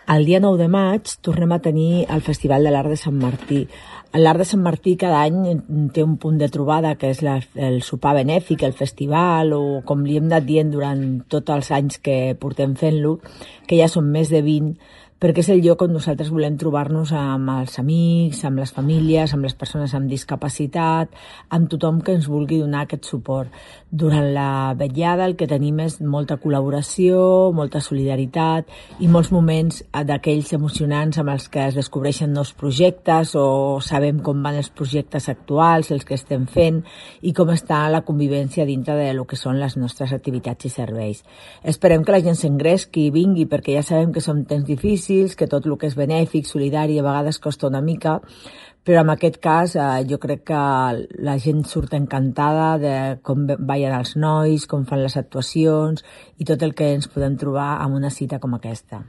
El dia 9 de maig tornem a tenir el Festival de l'Art de Sant Martí. L'Art de Sant Martí cada any té un punt de trobada que és el sopar benèfic, el festival, o com li hem anat dient durant tots els anys que portem fent-lo, que ja són més de 20, perquè és el lloc on nosaltres volem trobar-nos amb els amics, amb les famílies, amb les persones amb discapacitat, amb tothom que ens vulgui donar aquest suport. Durant la vetllada el que tenim és molta col·laboració, molta solidaritat i molts moments d'aquells emocionants amb els que es descobreixen nous projectes o sabem com van els projectes actuals, els que estem fent i com està la convivència dintre de lo que són les nostres activitats i serveis. Esperem que la gent s'engresqui i vingui perquè ja sabem que són temps difícils, que tot el que és benèfic, solidari, a vegades costa una mica, però en aquest cas jo crec que la gent surt encantada de com ballen els nois, com fan les actuacions i tot el que ens podem trobar en una cita com aquesta.